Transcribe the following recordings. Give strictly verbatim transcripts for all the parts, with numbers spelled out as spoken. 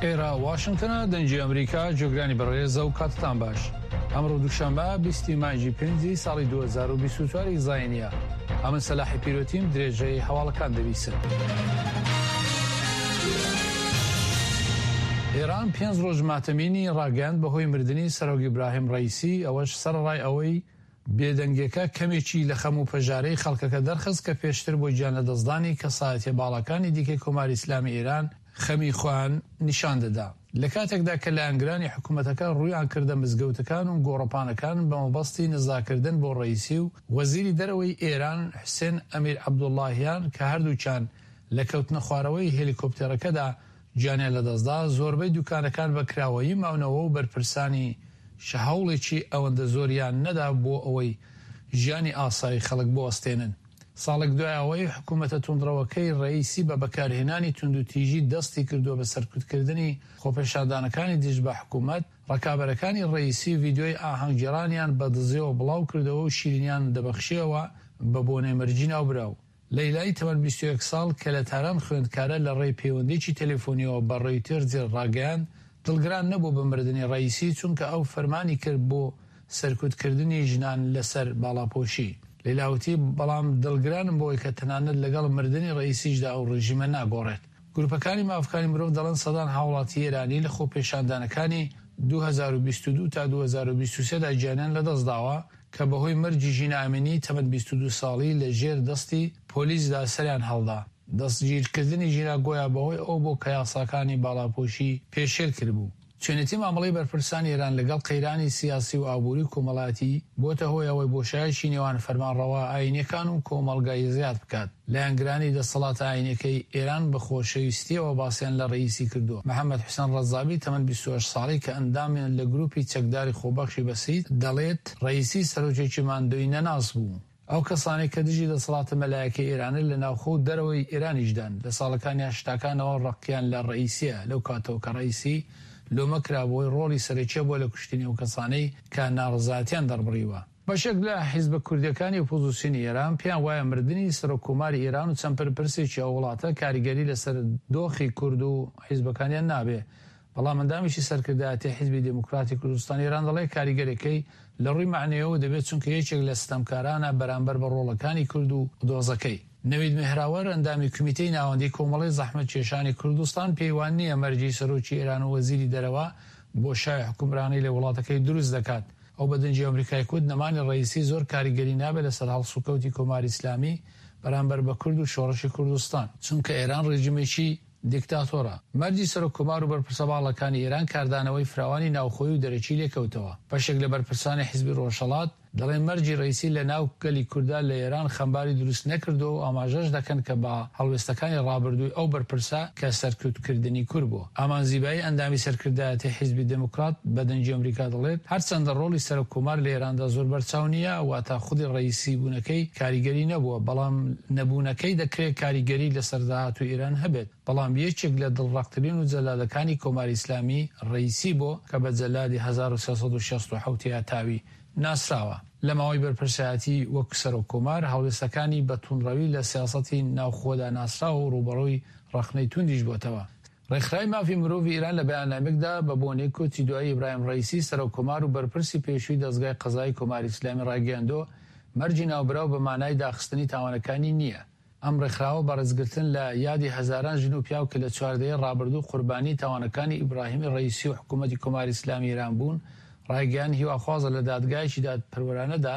ئێرە واشنگتنە، دەنگی ئەمریکا، جۆگرانی بەڕێزە و کاتتان باش. ئەمڕۆ دووشەممە بیستی مانگی پێنجی ساڵی دوو هەزار و بیست و چوار ی زاینیە. ئەمن سەلاحی پیرۆتیم، درێژەی هەواڵەکان دەبیسن. ئێران پێنج ڕۆژ ماتەمینی ڕاگەیاند بەهۆی مردنی سەرۆک ئیبراهیم ڕەئیسی، ئەوەش سەرەڕای ئەوەی بێدەنگیەکە کەمێکی لە خەم و پەژارەی خەڵکەکە دەرخست کە پێشتر بۆ گیانلەدەستدانی کەسایەتیە باڵاکانی دیکەی کۆماری ئیسلامی ئێران خەمی خۆیان نیشان دەدا. لە کاتێکدا کە لایەنگرانی حکومەتەکە ڕوویان کردە مزگەوتەکان و گۆڕەپانەکان بە مەبەستی نزاکردن بۆ ڕەئیسی و وەزیری دەرەوەی ئێران حوسێن ئەمیر عەبدوڵڵاهیان کە هەردووکیان لە کەوتنەخوارەوەی هێلیکۆپتێرەکەدا گیانیان لەدەستدا، زۆربەی دوکانەکان بە کراوەیی ماونەوە و بەرپرسانی هەوڵێکی ئەوەندە زۆریان نەدا بۆ ئەوەی ژیانی ئاسایی خەڵک بوەستێنن. ساڵێک دوای ئەوەی حکوومەتە توندڕەوەکەی ڕەئیسی بە بەکارهێنانی توندوتیژی دەستی کردووە بە سەرکوتکردنی خۆپێشاندانەکانی دژ بە حکوومەت، ڕکابەرەکانی ڕەئیسی ڤیدیۆی ئاهەنگگێڕانیان بە دزیەوە بڵاو کردەوە و شیرینیان دەبەخشیەوە بە بۆنەی مەرگی ناوبراو. لەیلای تەمەن بیست و یەک ساڵ کە لە تاران خوێندکارە لە ڕێی پەیوەندیی تەلەفۆنیەوە بە ڕۆیتەرزی ڕاگەیاند دڵگران نەبوو بە مردنی ڕەئیسی چونکە ئەو فەرمانی کرد بۆ سەرکوتکردنی ژنان لەسەر باڵاپۆشی. لەیلا وتی بەڵام دڵگرانم بەوەی کە تەنانەت لەگەڵ مردنی ڕەئیسیشدا ئەو ڕژیمە ناگۆڕێت. گروپەکانی مافەکانی مرۆڤ دەڵێن سەدان هاوڵاتی ئێرانی لە خۆپێشاندانەکانی دوو هەزار و بیست و دوو تا دوو هەزار و بیست و سێ دا گیانیان لەدەستداوە کە بەهۆی مەرگی ژینا ئەمینی تەمەن بیست و دوو ساڵی لە ژێر دەستی پۆلیسدا سەریان هەڵدا. دەستگیرکردنی ژینا گۆیا بەهۆی ئەوە بوو کە یاساکانی باڵاپۆشی پێشێل کردبوو. چۆنێتی مامەڵەی بەرپرسانی ئێران لەگەڵ قەیرانی سیاسی و ئابووری و کۆمەڵایەتی بۆتە هۆی ئەوەی بۆشایەکی نێوان فەرمانڕەوا ئایینیەکان و کۆمەڵگای زیاد بکات. لایەنگرانی دەسەڵاتە ئایینیەکەی ئێران بە خۆشەویستیەوە باسیان لە ڕەئیسی کردووە. محەمەد حوسێن ڕەزابی تەمەن بیست و هەشت ساڵی کە ئەندامە لە گروپی چەکداری خۆبەخشی بەسیج دەڵێت ڕەئیسی سەرۆکێکی ماندووی نەناس بوو. ئەو کەسانەی کە دژی دەسەڵاتە مەلایەکەی ئێرانن لە ناوخۆ و دەرەوەی ئێرانیشدان، لە ساڵەکانی هەشتاکانەوە ڕقیان لە ڕەئیسیە، لەو کاتەوە کە ڕەئیسی لۆمە کرا بۆی ڕۆڵی سەرەکیە بووە لە کوشتنی ئەو کەسانەی کە ناڕەزایەتیان دەربڕیوە. بەشێک لە حیزبە کوردیەکانی ئۆپۆزیسیۆنی ئێران پێیان وایە مردنی سەرۆک کۆماری ئێران و چەند بەرپرسێکی ئەو وڵاتە کاریگەری لەسەر دۆخی کورد و حیزبەکانیان نابێ، بەڵام ئەندامێکی سەرکردایەتی حیزبی دێموکراتی کوردستان ئێران دەڵێ کاریگەرەکەی لە ڕووی مەعنەویەوە دەبێت چونکە یەکێک لە ستەمکارانە بەرامبەر بە ڕۆڵەکانی کورد و دۆزەکەی. نەوید مێهراوەر ئەندامی کومیتەی ناوەندی کۆمەڵەی زەحمەتکێشانی کوردستان پێی وا نییە مەرگی سەرۆکی ئێران و وەزیری دەرەوە بۆشای حوکمرانی لە وڵاتەکەی دروست دەکات. ئەو بە دەنگی ئەمریکای کوت نەمانی ڕەئیسی زۆر کاریگەری نابێت لەسەر هەڵسوکەوتی کۆماری ئیسلامی بەرامبەر بە کورد و شۆڕشی کوردستان، چونکە ئێران ڕێژیمێکی دیکتاتۆرە. مەرگی سەرۆک کۆمار و بەرپرسە باڵاکانی ئێران کاردانەوەی فراوانی ناوخۆیی و دەرەکی لێکەوتەوە. بەشێک لە بەرپرسانی حیزبی ڕۆژهەڵات دەڵێن مەرگی ڕەئیسی لە ناو گەلی کورددا لە ئێران خەمباری دروست نەکردووە و ئاماژەش دەکەن کە بە هەڵوێستەکانی ڕابردووی ئەو بەرپرسە کە سەرکوتکردنی کورد بووە. ئامان زیبایی ئەندامی سەرکردایەتی حیزبی دێموکرات بە دەنگی ئەمریکا دەڵێت هەرچەندە ڕۆڵی سەرۆک کۆمار لە ئێراندا زۆر بەرچاو نییە، واتە خودی ڕەئیسی بوونەکەی کاریگەری نەبووە، بەڵام نەبوونەکەی دەکرێت کاریگەری لەسەر داهاتووی ئێران هەبێت. بەڵام یەکێک لە دڵڕەقترین و جەلادەکانی کۆماری ئیسلامی ڕەئیسی بۆ کە بە جەلادی هەزار و سێ سەد و شەست و حەوت هەتاوی ناسراوە. لە ماوەی بەرپرسایەتی وەک سەرۆک کۆمار هەڵوێستەکانی بە توندڕەوی لە سیاسەتی ناوخۆدا ناسراوە و ڕووبەڕووی ڕەخنەی توندیش بۆتەوە. ڕێکخراوی مافی مرۆڤی ئێران لە بەیاننامەیەکدا بە بۆنەی کۆچی دوایی ئیبراهیم ڕەئیسی سەرۆک کۆمار و بەرپرسی پێشووی دەزگای قەزایی کۆماری ئیسلامی ڕایگەیاندووە مەرگی ناوبراو بە مانای داخستنی تاوانەکانی نییە. ئەم ڕێکخراوە بە ڕێزگرتن لە یادی هەزاران ژن و پیاو کە لە چوار دەیەی ڕابردوو قوربانی تاوانەکانی ئیبراهیمی ڕەئیسی و حکوومەتی کۆماری ئیسلامی ئێران بوون، ڕایگەیاند هیواخوازە لە دادگایەکی دادپەروەرانەدا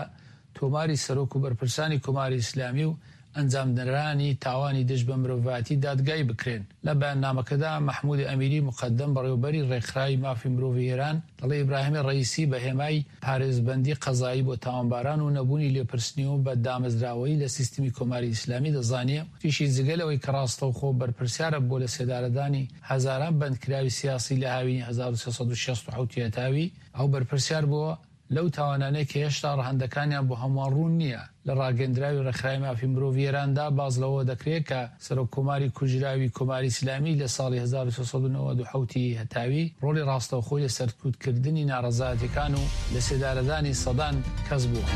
تۆماری سەرۆک و بەرپرسانی کۆماری ئیسلامی و ئەنجامدەرانی تاوانی دژ بە مرۆڤایەتی دادگایی بکرێن. لە بەیاننامەکەدا مەحموود ئەمیری موقەدەم بەڕێوەبەری ڕێکخراوی مافی مرۆڤی ئێران دەڵێ ئیبراهیمی ڕەئیسی بە هێمای پارێزبەندی قەزایی بۆ تاوانباران و نەبوونی لێپرسینەوە بە دامەزراوەیی لە سیستمی کۆماری ئیسلامی دەزانێ، وتیشی جگە لەوەی کە ڕاستەوخۆ بەرپرسیارە بۆ لەسێدارەدانی هەزاران بەندکراوی سیاسی لە هاوینی هەزار و سێ سەد و شەست و حەوت هەتاوی، ئەو بەرپرسیار بووە لەو تاوانانەی کە هێشتا ڕەهەندەکانیان بۆ هەمووان ڕوون نییە. لە ڕاگەیەندراوی ڕێکخراوی مافی مرۆڤی ئێراندا باس لەوە دەکرێت کە سەرۆک کۆماری کوژراوی کۆماری ئیسلامی لە ساڵی هەزار و سێ سەد و نەوەد و حەوت ی هەتاوی ڕۆڵی ڕاستەوخۆی لە سەرکوتکردنی ناڕەزایەتیەکان و لەسێدارەدانی سەدان کەس بووە.